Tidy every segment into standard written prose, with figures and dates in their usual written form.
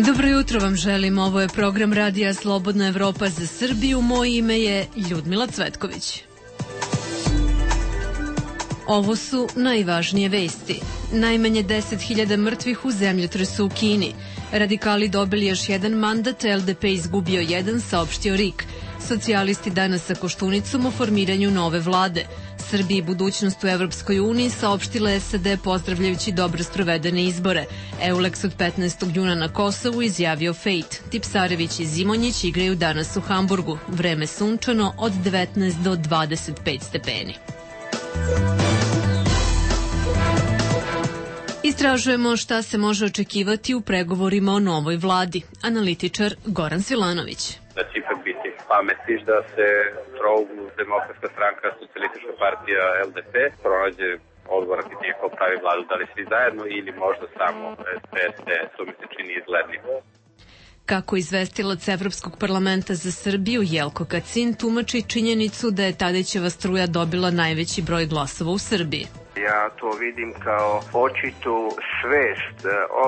Dobro jutro vam želim, ovo je program Radija Slobodna Evropa za Srbiju, moje ime je Ljudmila Cvetković. Ovo su najvažnije vesti. Najmanje 10.000 mrtvih u zemljotresu u Kini. Radikali dobili još jedan mandat, LDP izgubio jedan, saopštio RIK. Socijalisti danas sa Koštunicom o formiranju nove vlade. Srbiji budućnost u Evropskoj uniji saopštila SAD pozdravljajući dobro sprovedene izbore. Eulex od 15. juna na Kosovu izjavio Fejt. Tipsarević i Zimonjić igraju danas u Hamburgu. Vreme sunčano od 19 do 25 stepeni. Istražujemo šta se može očekivati u pregovorima o novoj vladi. Analitičar Goran Svilanović. Da će ipak biti pametiš da se trouglu Demokratska stranka, Socijalistička partija, LDP pronađe odgovor na pitanje ko pravi vladu, da li svi zajedno ili možda samo SPS, to mi se čini izglednim. Kako izvestilac Evropskog parlamenta za Srbiju Jelko Kacin tumači činjenicu da je Tadićeva struja dobila najveći broj glasova u Srbiji. Ja to vidim kao očitu svest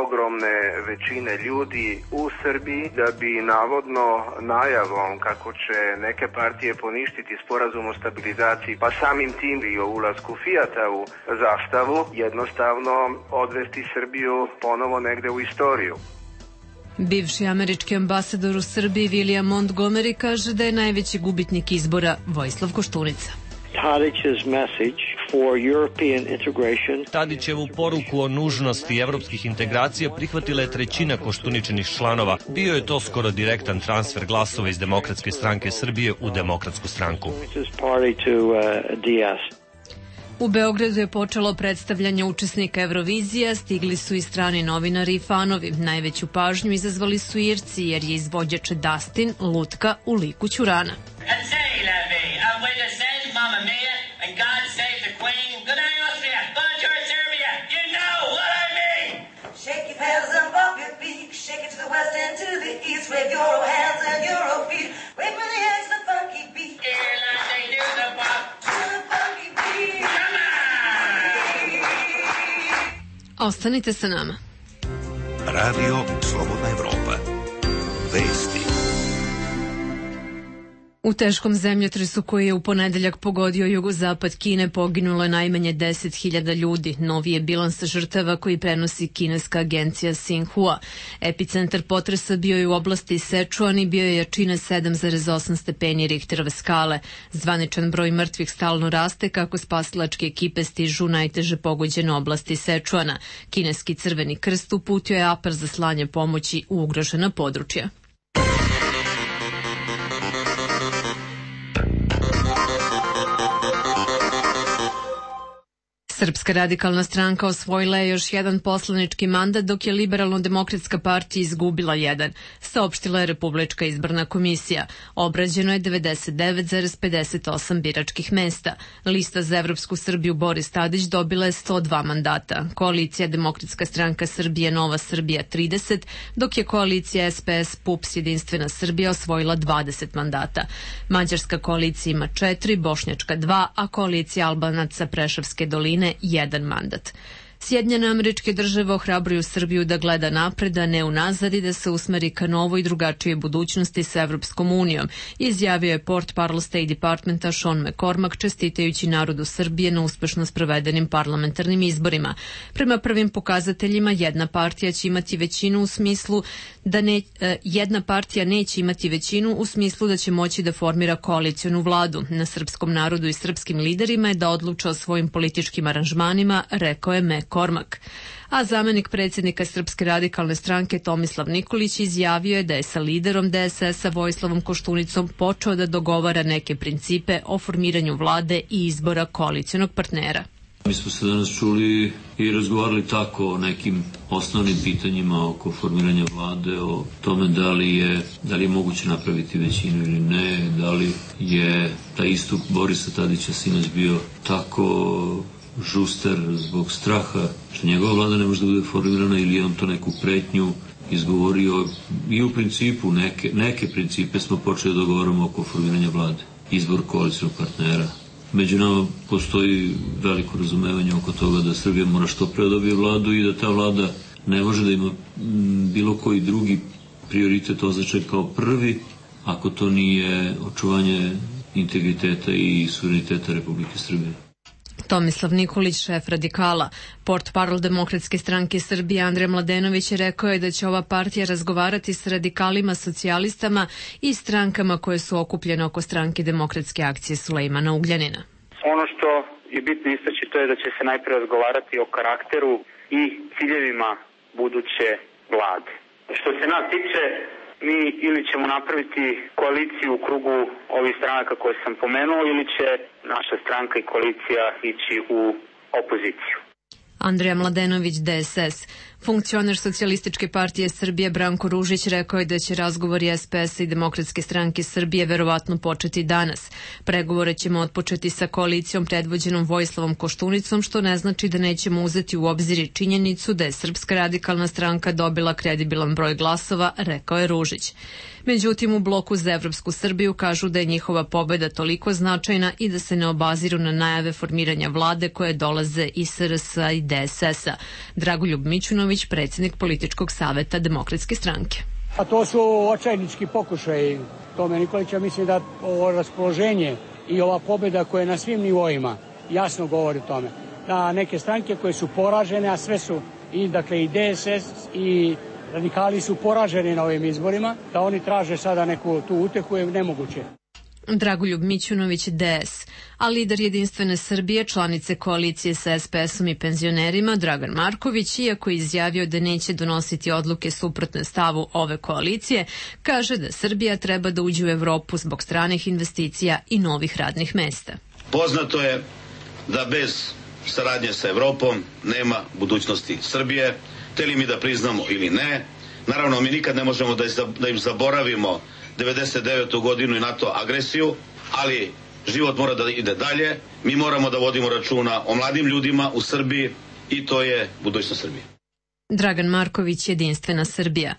ogromne većine ljudi u Srbiji da bi navodno najavom kako će neke partije poništiti sporazum o stabilizaciji, pa samim tim i o ulasku Fijata u zastavu, jednostavno odvesti Srbiju ponovo negde u istoriju. Bivši američki ambasador u Srbiji William Montgomery kaže da je najveći gubitnik izbora Vojislav Koštunica. Tadićevu poruku o nužnosti evropskih integracija prihvatila je trećina Koštuničinih članova. Bio je to skoro direktan transfer glasova iz Demokratske stranke Srbije u Demokratsku stranku. U Beogradu je počelo predstavljanje učesnika Eurovizija, stigli su i strani novinari i fanovi. Najveću pažnju izazvali su Irci jer je izvođač Dustin lutka u liku Ćurana. Ostanite sa nama. Radio Slobodna Evropa. Vesti. U teškom zemljotresu koji je u ponedeljak pogodio jugozapad Kine poginulo je najmanje 10.000 ljudi. Novi je bilans žrtava koji prenosi kineska agencija Xinhua. Epicentar potresa bio je u oblasti Sečuan i bio je jačine 7,8 stepeni Richterove skale. Zvaničan broj mrtvih stalno raste kako spasilačke ekipe stižu u najteže pogođene oblasti Sečuana. Kineski Crveni krst uputio je apel za slanje pomoći u ugrožena područja. Srpska radikalna stranka osvojila je još jedan poslanički mandat, dok je Liberalno-demokratska partija izgubila jedan, saopštila je Republička izborna komisija. Obrađeno je 99,58 biračkih mesta. Lista za Evropsku Srbiju Boris Tadić dobila je 102 mandata. Koalicija Demokratska stranka Srbije Nova Srbija 30, dok je koalicija SPS PUPS Jedinstvena Srbija osvojila 20 mandata. Mađarska koalicija ima 4, Bošnjačka 2, a koalicija Albanaca Preševske doline jedan mandat. Sjedinjene Američke Države ohrabruju Srbiju da gleda napred, a ne unazad i da se usmeri ka novoj i drugačijoj budućnosti sa Evropskom unijom, izjavio je portparol State Departmenta Sean McCormack čestitajući narodu Srbije na uspešno sprovedenim parlamentarnim izborima. Prema prvim pokazateljima jedna partija će imati većinu u smislu da jedna partija neće imati većinu u smislu da će moći da formira koalicionu vladu. Na srpskom narodu i srpskim liderima je da odluče o svojim političkim aranžmanima, rekao je McCormack. A zamenik predsjednika Srpske radikalne stranke Tomislav Nikolić izjavio je da je sa liderom DSS-a Vojislavom Koštunicom počeo da dogovara neke principe o formiranju vlade i izbora koalicionog partnera. Mi smo se danas čuli i razgovarali tako o nekim osnovnim pitanjima oko formiranja vlade, o tome da li je moguće napraviti većinu ili ne, da li je taj istup Borisa Tadića sinoć bio tako žuster zbog straha što njegova vlada ne može da bude formirana ili je on to neku pretnju izgovorio. I u principu neke principe smo počeli da dogovaramo oko formiranja vlade, izbor koalicionog partnera. Među nama postoji veliko razumevanje oko toga da Srbija mora što pre dobije vladu i da ta vlada ne može da ima bilo koji drugi prioritet označen kao prvi ako to nije očuvanje integriteta i suvereniteta Republike Srbije. Tomislav Nikolić, šef Radikala. Portparol Demokratske stranke Srbije Andrej Mladenović je rekao da će ova partija razgovarati s radikalima, socijalistama i strankama koje su okupljene oko stranke Demokratske akcije Sulejmana Ugljanina. Ono što je bitno istaći to je da će se najpre razgovarati o karakteru i ciljevima buduće vlade. Što se nas tiče, mi ili ćemo napraviti koaliciju u krugu ovih stranaka koje sam pomenuo ili će naša stranka i koalicija ići u opoziciju. Andrija Mladenović, DSS. Funkcioner Socijalističke partije Srbije Branko Ružić rekao je da će razgovori SPS-a i Demokratske stranke Srbije verovatno početi danas. Pregovore ćemo otpočeti sa koalicijom predvođenom Vojislavom Koštunicom, što ne znači da nećemo uzeti u obzir i činjenicu da je Srpska radikalna stranka dobila kredibilan broj glasova, rekao je Ružić. Međutim, u Bloku za Evropsku Srbiju kažu da je njihova pobeda toliko značajna i da se ne obaziru na najave formiranja vlade koje dolaze iz SRS-a i DSS-a. Dragoljub Mićunović, predsjednik političkog saveta Demokratske stranke. A to su očajnički pokušaj Tome Nikolića. Mislim da ovo raspoloženje i ova pobjeda koja je na svim nivoima jasno govori o tome. Da neke stranke koje su poražene, a sve su i DSS i radikali su poraženi na ovim izborima, da oni traže sada neku tu utehu je nemoguće. Dragoljub Mićunović, DS, a lider Jedinstvene Srbije, članice koalicije sa SPS-om i penzionerima, Dragan Marković, iako je izjavio da neće donositi odluke suprotne stavu ove koalicije, kaže da Srbija treba da uđe u Evropu zbog stranih investicija i novih radnih mesta. Poznato je da bez saradnje sa Evropom nema budućnosti Srbije, hteli mi da priznamo ili ne. Naravno, mi nikad ne možemo da im zaboravimo 99. godinu i NATO agresiju, ali život mora da ide dalje. Mi moramo da vodimo računa o mladim ljudima u Srbiji i to je budućnost Srbije. Dragan Marković, Jedinstvena Srbija.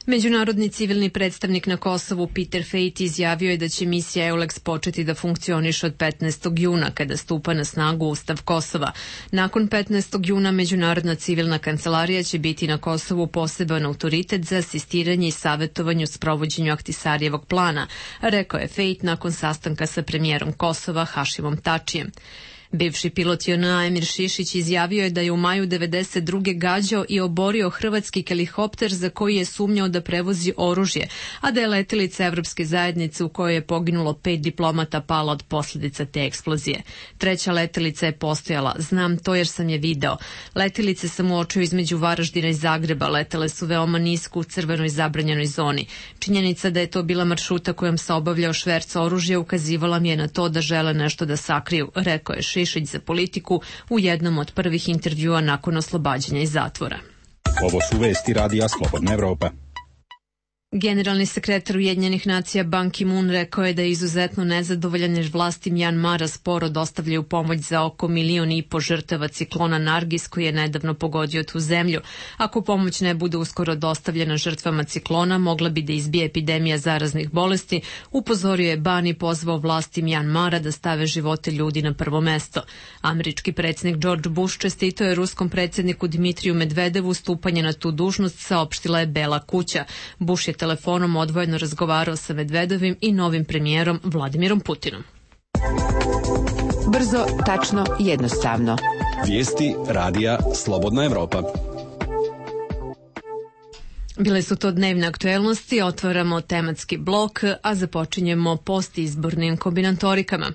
Međunarodni civilni predstavnik na Kosovu Peter Fejt izjavio je da će misija EULEX početi da funkcioniše od 15. juna kada stupa na snagu Ustav Kosova. Nakon 15. juna Međunarodna civilna kancelarija će biti na Kosovu poseban autoritet za asistiranje i savjetovanje u sprovođenju Ahtisarijevog plana, rekao je Fejt nakon sastanka sa premijerom Kosova Hašimom Tačijem. Bivši pilot JNA Emir Šišić izjavio je da je u maju 1992. gađao i oborio hrvatski helikopter za koji je sumnjao da prevozi oružje, a da je letelica Evropske zajednice u kojoj je poginulo 5 diplomata pala od posljedica te eksplozije. Treća letelica je postojala, znam to jer sam je video. Letelice sam uočio između Varaždina i Zagreba, letele su veoma nisko u crvenoj zabranjenoj zoni. Činjenica da je to bila maršruta kojom se obavljao šverc oružja ukazivala mi je na to da žele nešto da sakriju, rekao je Šišić za Politiku u jednom od prvih intervjua nakon oslobađanja iz zatvora. Ovo su vesti Radija Slobodna Evropa. Generalni sekretar Ujedinjenih nacija Ban Ki-moon rekao je da je izuzetno nezadovoljan jer vlasti Mjanmara sporo dostavljaju pomoć za oko 1,5 miliona žrtava ciklona Nargis koji je nedavno pogodio tu zemlju. Ako pomoć ne bude uskoro dostavljena žrtvama ciklona, mogla bi da izbije epidemija zaraznih bolesti, upozorio je Ban i pozvao vlasti Mjanmara da stave živote ljudi na prvo mesto. Američki predsjednik George Bush čestitao je ruskom predsjedniku Dmitriju Medvedevu stupanje na tu dužnost, saopštila je Bela kuća. Bush je telefonom odvojeno razgovarao sa Medvedovim i novim premijerom Vladimirom Putinom. Brzo, tačno, jednostavno. Vijesti Radija Slobodna Evropa. Bile su to dnevne aktuelnosti, otvaramo tematski blok, a započinjemo postizbornim kombinatorikama.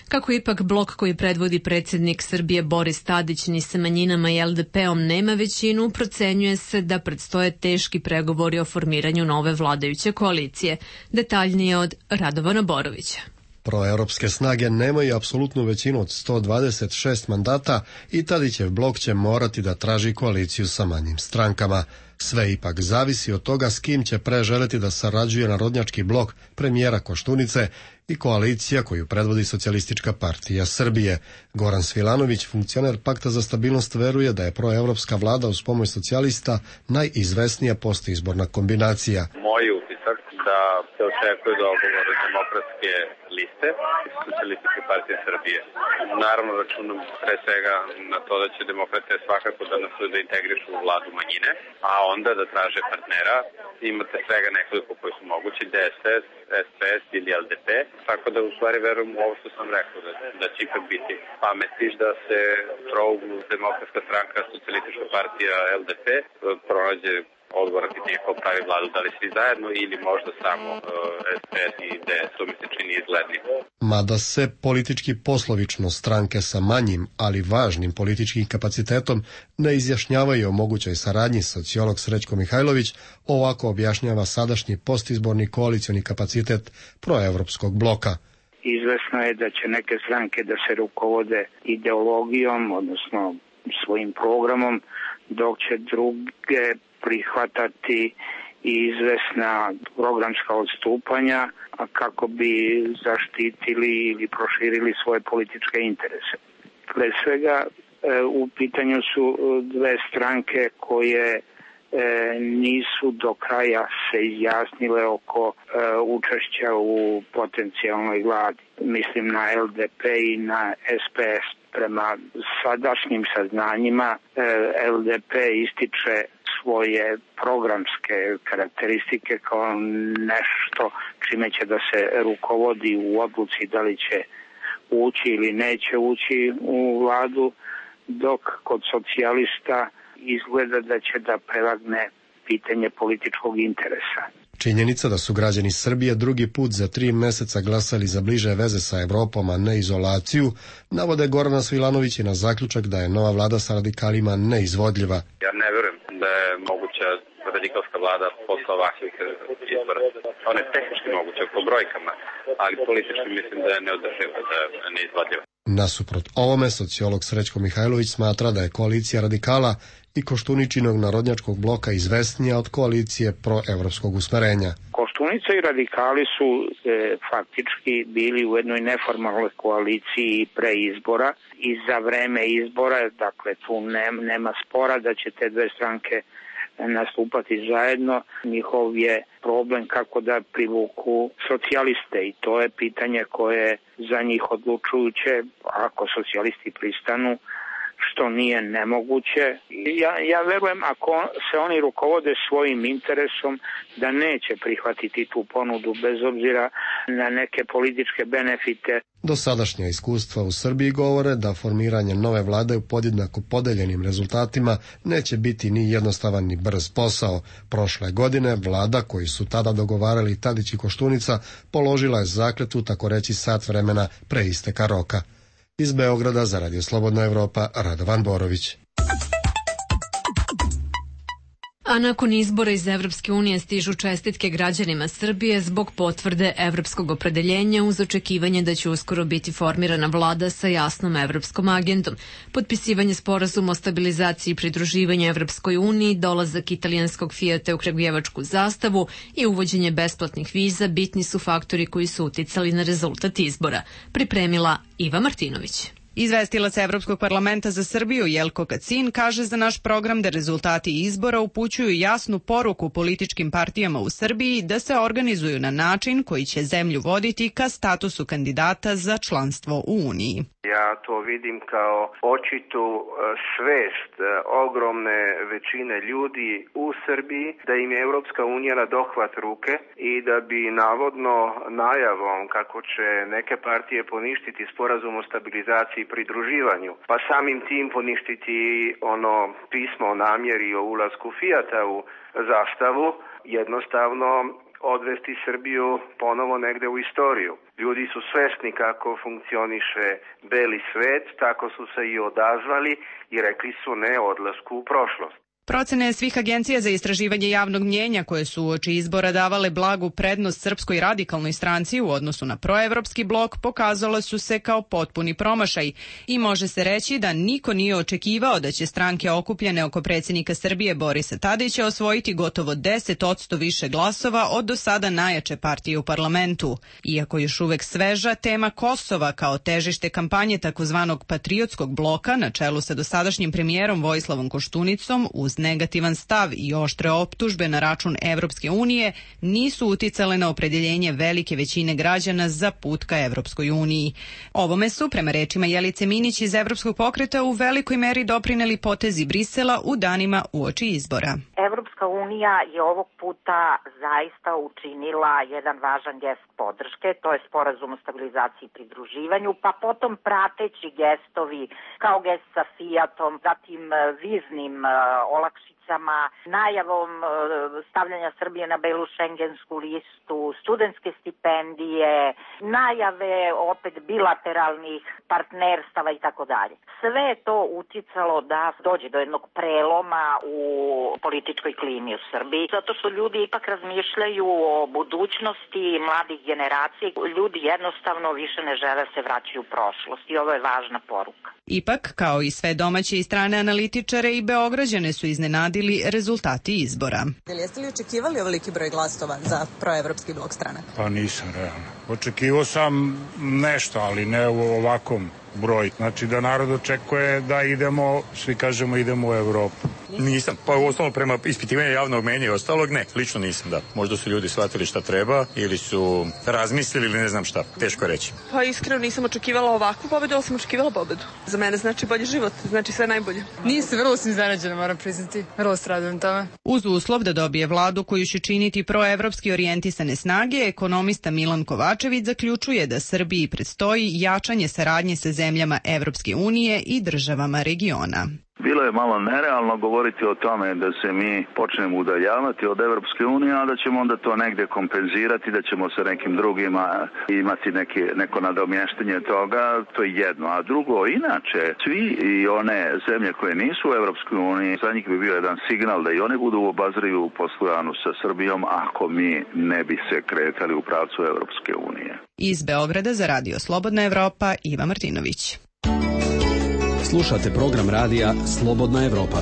Kako ipak blok koji predvodi predsjednik Srbije Boris Tadić ni sa manjinama i LDP-om nema većinu, procenjuje se da predstoje teški pregovori o formiranju nove vladajuće koalicije. Detaljnije od Radovana Borovića. Proevropske snage nemaju apsolutnu većinu od 126 mandata i Tadićev blok će morati da traži koaliciju sa manjim strankama. Sve ipak zavisi od toga s kim će preželeti da sarađuje narodnjački blok premijera Koštunice i koalicija koju predvodi Socijalistička partija Srbije. Goran Svilanović, funkcioner Pakta za stabilnost, veruje da je proevropska vlada uz pomoć socijalista najizvesnija postizborna kombinacija. Moj utisak da se očekuje dogovor demokratske liste i Socijalističke partije Srbije. Naravno računam pre svega na to da će demokrate svakako da nastoje da integrišu u vladu manjine, a onda da traže partnera. Imate svega nekoliko koji su mogući, DSS, SPS ili LDP, tako da u stvari verujem u ovo što sam rekao, da će ipak biti pametiš da se trouglu Demokratska stranka, Socijalistička partija, LDP pronađe odgovor na pitanje ko pravi vladu, da li svi zajedno ili možda samo SPS i DS, to mi se čini izglednim. Mada se politički poslovično stranke sa manjim, ali važnim političkim kapacitetom ne izjašnjavaju o mogućoj saradnji, sociolog Srećko Mihajlović ovako objašnjava sadašnji postizborni koalicioni kapacitet proevropskog bloka. Izvesno je da će neke stranke da se rukovode ideologijom, odnosno svojim programom, dok će druge prihvatati izvesna programska odstupanja kako bi zaštitili ili proširili svoje političke interese. Pre svega u pitanju su dve stranke koje nisu do kraja se izjasnile oko učešća u potencijalnoj vladi. Mislim na LDP i na SPS. Prema sadašnjim saznanjima LDP ističe svoje programske karakteristike kao nešto čime će da se rukovodi u odluci da li će ući ili neće ući u vladu, dok kod socijalista izgleda da će da prevagne pitanje političkog interesa. Činjenica da su građani Srbije drugi put za 3 meseca glasali za bliže veze sa Evropom, a ne izolaciju, navode Gorana Svilanović na zaključak da je nova vlada sa radikalima neizvodljiva. Ja ne verujem da je moguća radikalska vlada posle ovakvih izbora. Ona je tehnički moguća po brojkama, ali politički mislim da je neodrživa, da je neizvodljiva. Nasuprot ovome, sociolog Srećko Mihajlović smatra da je koalicija radikala i Koštuničinog narodnjačkog bloka izvesnija od koalicije proevropskog usmerenja. Koštunica i radikali su faktički bili u jednoj neformalnoj koaliciji pre izbora i za vreme izbora, dakle tu nema spora da će te dve stranke nastupati zajedno. Njihov je problem kako da privuku socijaliste i to je pitanje koje je za njih odlučujuće. Ako socijalisti pristanu, što nije nemoguće. Ja verujem ako se oni rukovode svojim interesom da neće prihvatiti tu ponudu bez obzira na neke političke benefite. Dosadašnja iskustva u Srbiji govore da formiranje nove vlade u podjednako podeljenim rezultatima neće biti ni jednostavan ni brz posao. Prošle godine vlada koju su tada dogovarali Tadić i Koštunica položila je zakletvu tako reći sat vremena pre isteka roka. Iz Beograda za Radio Slobodna Evropa, Radovan Borović. A nakon izbora iz Evropske unije stižu čestitke građanima Srbije zbog potvrde evropskog opredeljenja uz očekivanje da će uskoro biti formirana vlada sa jasnom evropskom agendom. Potpisivanje sporazuma o stabilizaciji i pridruživanju Evropskoj uniji, dolazak italijanskog Fijata u kragujevačku zastavu i uvođenje besplatnih viza bitni su faktori koji su uticali na rezultat izbora. Pripremila Iva Martinović. Izvestilac Evropskog parlamenta za Srbiju Jelko Kacin kaže za naš program da rezultati izbora upućuju jasnu poruku političkim partijama u Srbiji da se organizuju na način koji će zemlju voditi ka statusu kandidata za članstvo u Uniji. Ja to vidim kao očitu svest ogromne većine ljudi u Srbiji da im je Evropska unija na dohvat ruke i da bi navodno najavom kako će neke partije poništiti sporazum o stabilizaciji i pridruživanju, pa samim tim poništiti ono pismo o namjeri o ulasku Fijata u zastavu, jednostavno odvesti Srbiju ponovo negde u istoriju. Ljudi su svesni kako funkcioniše beli svet, tako su se i odazvali i rekli su ne odlasku u prošlost. Procene svih agencija za istraživanje javnog mnjenja koje su uoči izbora davale blagu prednost Srpskoj radikalnoj stranci u odnosu na proevropski blok pokazale su se kao potpuni promašaj i može se reći da niko nije očekivao da će stranke okupljene oko predsjednika Srbije Borisa Tadića osvojiti gotovo 10% više glasova od do sada najjače partije u parlamentu. Iako još uvek sveža, tema Kosova kao težište kampanje takozvanog patriotskog bloka na čelu sa dosadašnjim premijerom Vojislavom Koštunicom uz uz negativan stav i oštre optužbe na račun Evropske unije nisu uticale na opredjeljenje velike većine građana za put ka Evropskoj uniji. Ovome su, prema rečima Jelice Minić iz Evropskog pokreta, u velikoj meri doprineli potezi Brisela u danima uoči izbora. Evropska unija je ovog puta zaista učinila jedan važan gest podrške, to je sporazum o stabilizaciji i pridruživanju, pa potom prateći gestovi kao gest sa Fiatom, zatim viznim olakšicama, najavom stavljanja Srbije na belu šengensku listu, studentske stipendije, najave opet bilateralnih partnerstava i tako dalje. Sve je to uticalo da dođe do jednog preloma u političkoj klimi u Srbiji, zato što ljudi ipak razmišljaju o budućnosti mladih generacija. Ljudi jednostavno više ne žele se vraćati u prošlost i ovo je važna poruka. Ipak, kao i sve domaće i strane analitičare, i Beograđane su iznenadili rezultati izbora. Jeste li očekivali ovoliki broj glasova za proevropski blok stranaka? Pa nisam, realno. Očekivao sam nešto, ali ne u ovakvom broju. Znači da narod očekuje da idemo, svi kažemo idemo u Evropu. Nisam, pa osnovno prema ispitivanju javnog mnjenja i ostalog, ne, lično nisam, da. Možda su ljudi shvatili šta treba ili su razmislili ili ne znam šta, teško reći. Pa iskreno nisam očekivala ovakvu pobedu, ali sam očekivala pobedu. Za mene znači bolji život, znači sve najbolje. Nisam, vrlo sam iznenađena, moram priznati, vrlo stradujem tome. Uz uslov da dobije vladu koju će činiti proevropski orijentisane snage, ekonomista Milan Kovačević zaključuje da Srbiji predstoji jačanje saradnje sa zemljama Evropske unije i državama regiona. Bilo je malo nerealno govoriti o tome da se mi počnemo udaljavati od Evropske unije, a da ćemo onda to negde kompenzirati, da ćemo sa nekim drugima imati neko nadomještanje toga, to je jedno. A drugo, inače, svi i one zemlje koje nisu u Evropskoj uniji, za njih bi bio jedan signal da i one budu u obazriju u poslovanju sa Srbijom ako mi ne bi se kretali u pravcu Evropske unije. Iz Beograda za Radio Slobodna Evropa, Iva Martinović. Slušate program radija Slobodna Evropa.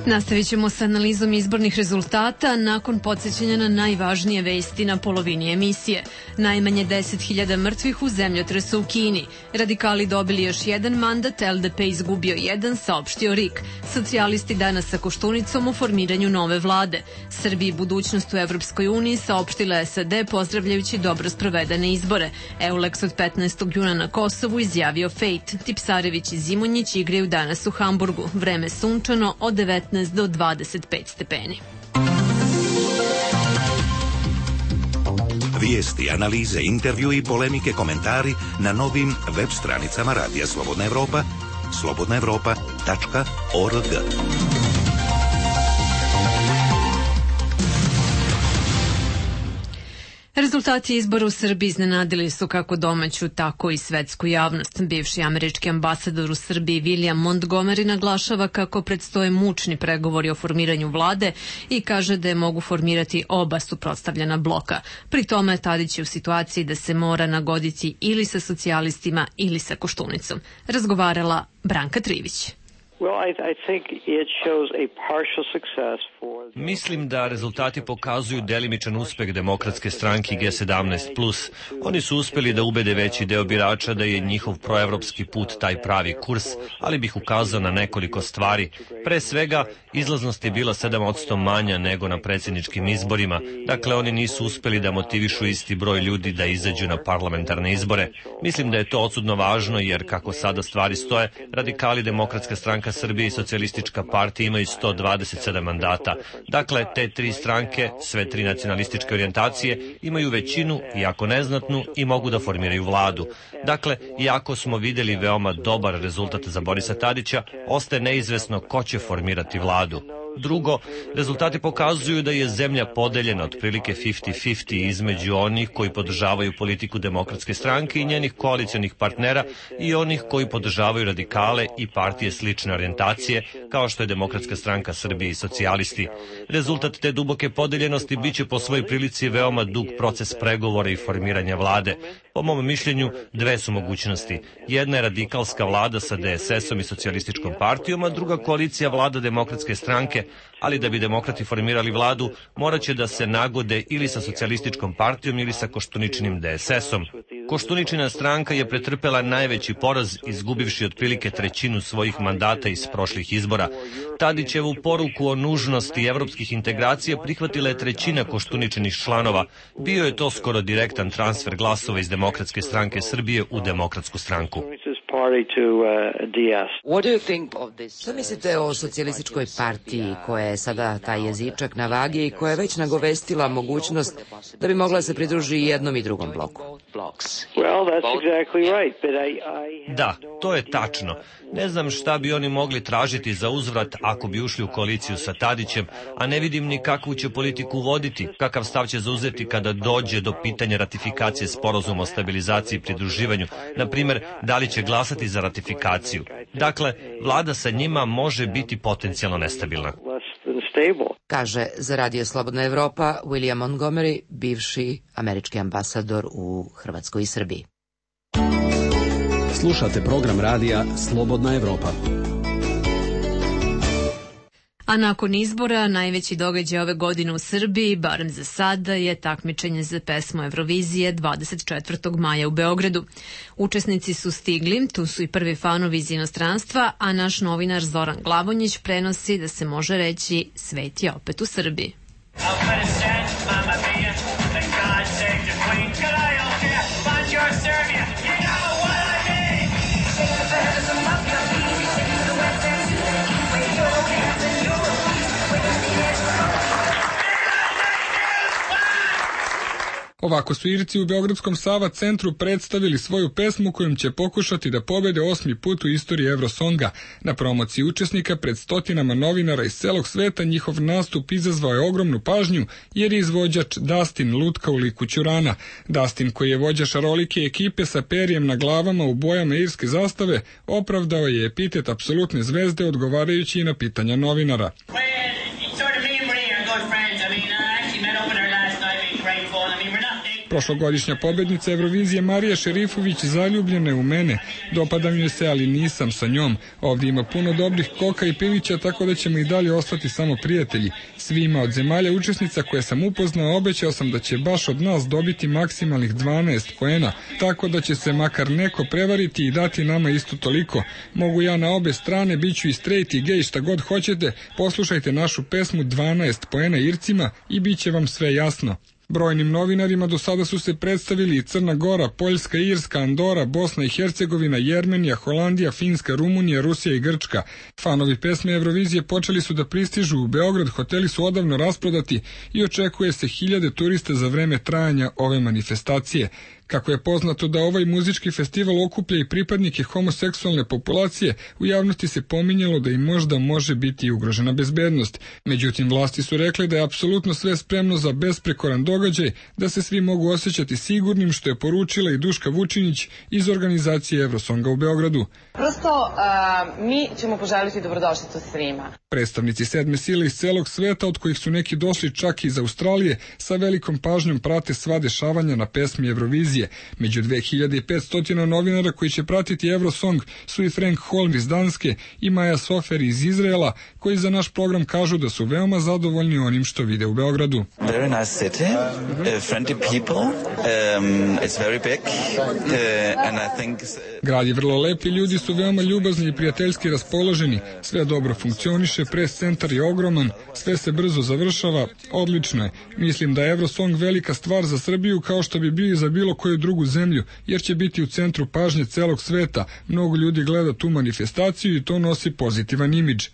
Nastavit ćemo sa analizom izbornih rezultata nakon podsjećanja na najvažnije vesti na polovini emisije. Najmanje 10.000 mrtvih u zemljotresu u Kini. Radikali dobili još jedan mandat, LDP izgubio jedan, saopštio RIK. Socijalisti danas sa Koštunicom o formiranju nove vlade. Srbiji budućnost u Evropskoj uniji saopštila SAD pozdravljajući dobro sprovedene izbore. Eulex od 15. juna na Kosovu izjavio Fejt. Tipsarević i Zimonjić igraju danas u Hamburgu. Vreme sunčano od 19 do 25 stepeni. Vijesti, analize, intervju i polemike, komentari na novim web stranicama Radija Slobodna Evropa, slobodnaevropa.org. Rezultati izbora u Srbiji iznenadili su kako domaću, tako i svetsku javnost. Bivši američki ambasador u Srbiji William Montgomery naglašava kako predstoje mučni pregovori o formiranju vlade i kaže da je mogu formirati oba suprotstavljena bloka. Pri tome Tadić je u situaciji da se mora nagoditi ili sa socijalistima ili sa Koštunicom. Razgovarala Branka Trivić. Mislim da rezultati pokazuju delimičan uspeh Demokratske stranke G17+. Oni su uspeli da ubede veći deo birača da je njihov proevropski put taj pravi kurs, ali bih ukazao na nekoliko stvari. Pre svega, izlaznost je bila 7% manja nego na predsjedničkim izborima, dakle oni nisu uspeli da motivišu isti broj ljudi da izađu na parlamentarne izbore. Mislim da je to odsudno važno jer kako sada stvari stoje, radikali Demokratska stranka Srbije i Socijalistička partija imaju 127 mandata. Dakle, te tri stranke, sve tri nacionalističke orijentacije, imaju većinu, iako neznatnu, i mogu da formiraju vladu. Dakle, iako smo vidjeli veoma dobar rezultat za Borisa Tadića, ostaje neizvesno ko će formirati vladu. Drugo, rezultati pokazuju da je zemlja podeljena otprilike 50-50 između onih koji podržavaju politiku Demokratske stranke i njenih koalicionih partnera i onih koji podržavaju radikale i partije slične orijentacije, kao što je Demokratska stranka Srbije i socijalisti. Rezultat te duboke podeljenosti biće po svojoj prilici veoma dug proces pregovora i formiranja vlade. Po mom mišljenju, dve su mogućnosti. Jedna je radikalska vlada sa DSS-om i socijalističkom partijom, a druga koalicija vlada Demokratske stranke, ali da bi demokrati formirali vladu, morat će da se nagode ili sa socijalističkom partijom ili sa Koštuničinim DSS-om. Koštuničina stranka je pretrpela najveći poraz, izgubivši otprilike trećinu svojih mandata iz prošlih izbora. Tadićevu poruku o nužnosti evropskih integracija prihvatila je trećina Koštuničinih članova. Bio je to skoro direktan transfer glasova iz Demokratske stranke Srbije u Demokratsku stranku. Što mislite o socijalističkoj partiji koja je sada taj jezičak na vagi i koja je već nagovestila mogućnost da bi mogla se pridruži jednom i drugom bloku? Da, to je tačno. Ne znam šta bi oni mogli tražiti za uzvrat ako bi ušli u koaliciju sa Tadićem, a ne vidim ni kakvu će politiku voditi, kakav stav će zauzeti kada dođe do pitanja ratifikacije sporazuma o stabilizaciji i pridruživanju, na primjer, da li će glasati za ratifikaciju. Dakle, vlada sa njima može biti potencijalno nestabilna. Kaže za Radio Slobodna Evropa William Montgomery, bivši američki ambasador u Hrvatskoj i Srbiji. Slušate program radija Slobodna Evropa. A nakon izbora, najveći događaj ove godine u Srbiji, barem za sada, je takmičenje za pesmu Eurovizije 24. maja u Beogradu. Učesnici su stigli, tu su i prvi fanovi iz inostranstva, a naš novinar Zoran Glavonjić prenosi da se može reći svet je opet u Srbiji. Ovako su Irci u Beogradskom Sava centru predstavili svoju pesmu kojom će pokušati da pobede 8. put u istoriji Eurosonga. Na promociji učesnika pred stotinama novinara iz celog sveta njihov nastup izazvao je ogromnu pažnju jer je izvođač Dustin lutka u liku Ćurana. Dustin, koji je vođa šarolike ekipe sa perijem na glavama u bojama irske zastave, opravdao je epitet apsolutne zvezde odgovarajući i na pitanja novinara. Prošlogodišnja pobednica Eurovizije Marija Šerifović zaljubljena je u mene. Dopada mi se, ali nisam sa njom. Ovdje ima puno dobrih koka i pilića, tako da ćemo i dalje ostati samo prijatelji. Svima od zemalja učesnica koje sam upoznao obećao sam da će baš od nas dobiti maksimalnih 12 poena, tako da će se makar neko prevariti i dati nama isto toliko. Mogu ja na obe strane, bit ću i straight i gay, šta god hoćete. Poslušajte našu pesmu 12 poena Ircima i bit će vam sve jasno. Brojnim novinarima do sada su se predstavili i Crna Gora, Poljska, Irska, Andora, Bosna i Hercegovina, Jermenija, Holandija, Finska, Rumunija, Rusija i Grčka. Fanovi pesme Eurovizije počeli su da pristižu u Beograd, hoteli su odavno rasprodati i očekuje se 1000 turista za vreme trajanja ove manifestacije. Kako je poznato da ovaj muzički festival okuplja i pripadnike homoseksualne populacije, u javnosti se pominjalo da im možda može biti ugrožena bezbednost. Međutim, vlasti su rekle da je apsolutno sve spremno za besprekoran događaj, da se svi mogu osjećati sigurnim, što je poručila i Duška Vučinić iz organizacije Eurosonga u Beogradu. Prosto, mi ćemo poželiti dobrodošlicu svima. Predstavnici sedme sile iz celog sveta, od kojih su neki došli čak iz Australije, sa velikom pažnjom prate sva dešavanja na pesmi Eurovizije. Među 2500 novinara koji će pratiti Eurosong su i Frank Holm iz Danske i Maja Sofer iz Izraela, koji za naš program kažu da su veoma zadovoljni onim što vide u Beogradu. Very nice city, friendly people, it's very big, and I think... Grad je vrlo lep i ljudi su veoma ljubazni i prijateljski raspoloženi. Sve dobro funkcioniše, pres centar je ogroman, sve se brzo završava, odlično je. Mislim da je Eurosong velika stvar za Srbiju, kao što bi bio i za bilo koju drugu zemlju, jer će biti u centru pažnje celog sveta. Mnogo ljudi gleda tu manifestaciju i to nosi pozitivan imidž.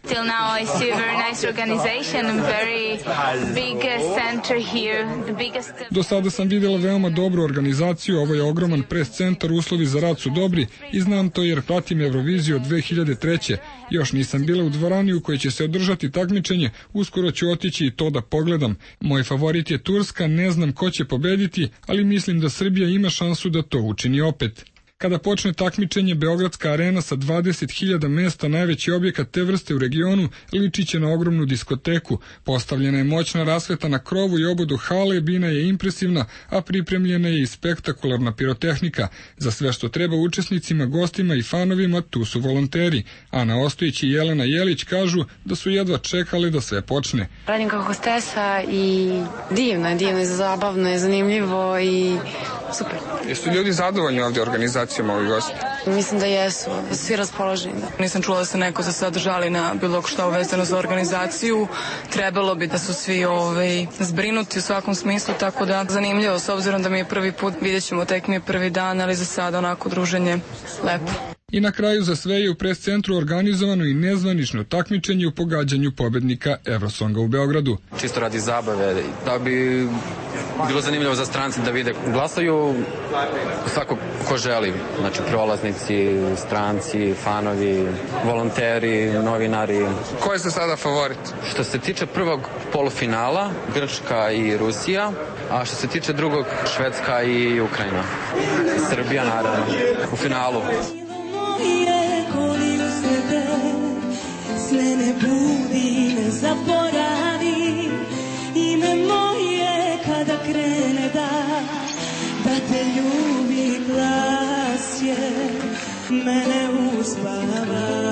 Do sada sam vidjela veoma dobru organizaciju, ovo je ogroman pres centar, uslovi za rad su dobri i znam to jer pratim Euroviziju od 2003. Još nisam bila u dvorani u kojoj će se održati takmičenje, uskoro ću otići i to da pogledam. Moj favorit je Turska, ne znam ko će pobediti, ali mislim da Srbija ima šansu da to učini opet. Kada počne takmičenje, Beogradska arena sa 20.000 mesta, najveći objekat te vrste u regionu, liči će na ogromnu diskoteku. Postavljena je moćna rasveta na krovu i obodu hale, bina je impresivna, a pripremljena je i spektakularna pirotehnika. Za sve što treba učesnicima, gostima i fanovima, tu su volonteri. Ana Ostojić i Jelena Jelić kažu da su jedva čekali da sve počne. Radim kao hostesa i divno je, zabavno je, zanimljivo i super. Jesu ljudi zadovoljni ovdje organizacijom ovih gosti? Mislim da jesu, svi raspoloženi. Nisam čula da se neko za sad žali na bilo šta uvezano za organizaciju. Trebalo bi da su svi zbrinuti u svakom smislu, tako da zanimljivo, s obzirom da mi je prvi put, vidjet ćemo, tek mi je prvi dan, ali za sad onako druženje lepo. I na kraju za sve je u pres centru organizovano i nezvanično takmičenje u pogađanju pobednika Eurosonga u Beogradu. Čisto radi zabave, da bi bilo zanimljivo za strance da vide. Glasaju svako ko želi, znači prolaznici, stranci, fanovi, volonteri, novinari. Ko je za sada favorit? Što se tiče prvog polufinala, Grčka i Rusija, a što se tiče drugog, Švedska i Ukrajina. Srbija naravno u finalu. Sve ne budi, ne zaboravi, ime moje kada krene da te ljubi, glas je mene uspava.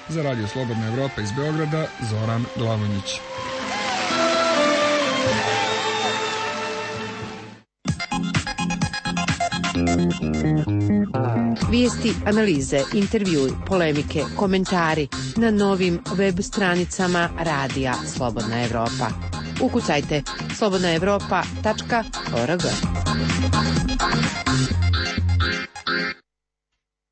Za Radio Slobodna Evropa iz Beograda, Zoran Glavonjić. Vijesti, analize, intervjui, polemike, komentari na novim web stranicama Radija Slobodna Evropa. Ukucajte slobodnaevropa.org.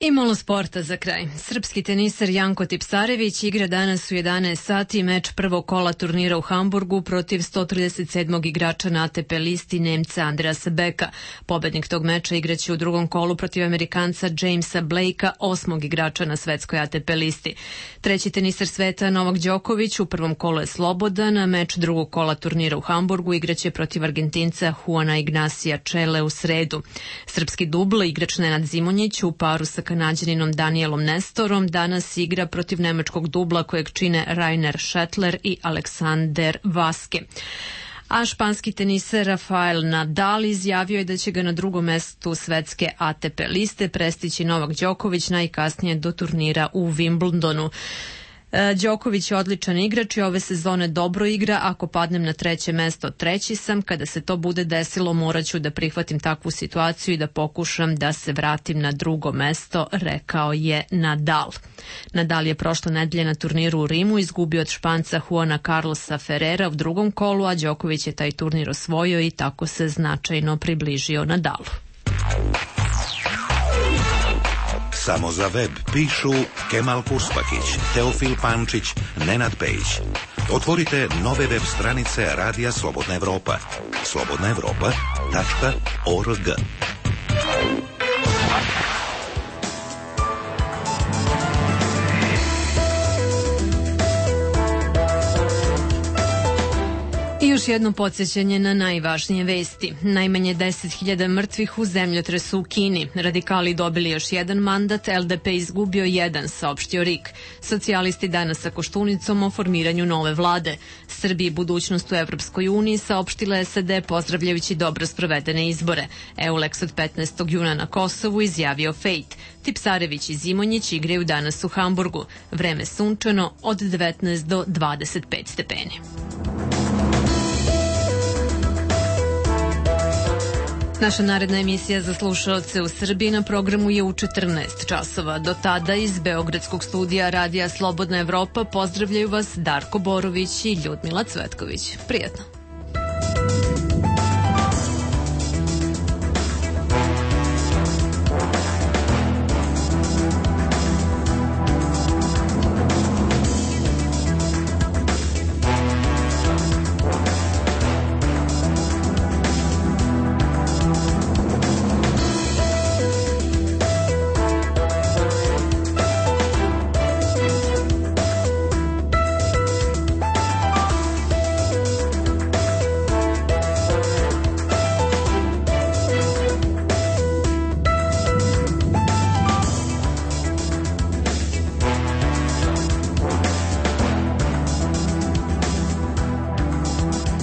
I malo sporta za kraj. Srpski teniser Janko Tipsarević igra danas u 11 sati meč prvog kola turnira u Hamburgu protiv 137. igrača na ATP listi Nemca Andreasa Beka. Pobednik tog meča igraće u drugom kolu protiv Amerikanca Jamesa Blakea, 8. igrača na svetskoj ATP listi. Treći teniser sveta Novak Đoković u prvom kolu je slobodan, a meč drugog kola turnira u Hamburgu igraće protiv Argentinca Juana Ignacia Čele u sredu. Srpski dubl, igrač Nenad Zimonjić u paru sa Kanađaninom Danielom Nestorom danas igra protiv nemačkog dubla kojeg čine Rainer Schettler i Aleksander Vaske. A španski teniser Rafael Nadal izjavio je da će ga na drugom mestu svetske ATP liste prestići Novak Đoković najkasnije do turnira u Wimbledonu. Đoković je odličan igrač i ove sezone dobro igra. Ako padnem na treće mesto, treći sam. Kada se to bude desilo, morat ću da prihvatim takvu situaciju i da pokušam da se vratim na drugo mesto, rekao je Nadal. Nadal je prošle nedelje na turniru u Rimu izgubio od Španca Juana Carlosa Ferrera u drugom kolu, a Đoković je taj turnir osvojio i tako se značajno približio Nadalu. Samo za web pišu Kemal Kurspakić, Teofil Pančić, Nenad Pejić. Otvorite nove web stranice Radija Slobodna Evropa. slobodnaevropa.org. I još jedno podsjećanje na najvažnije vesti. Najmanje 10.000 mrtvih u zemljotresu u Kini. Radikali dobili još jedan mandat, LDP izgubio jedan, saopštio RIK. Socijalisti danas sa Koštunicom o formiranju nove vlade. Srbiji budućnost u Evropskoj uniji saopštila SAD pozdravljajući dobro sprovedene izbore. EULEX od 15. juna na Kosovu izjavio Fejt. Tipsarević i Zimonjić igraju danas u Hamburgu. Vreme sunčano od 19 do 25 stepeni. Naša naredna emisija za slušaoce u Srbiji na programu je u 14 časova. Do tada iz Beogradskog studija Radija Slobodna Evropa pozdravljaju vas Darko Borović i Ljudmila Cvetković. Prijetno!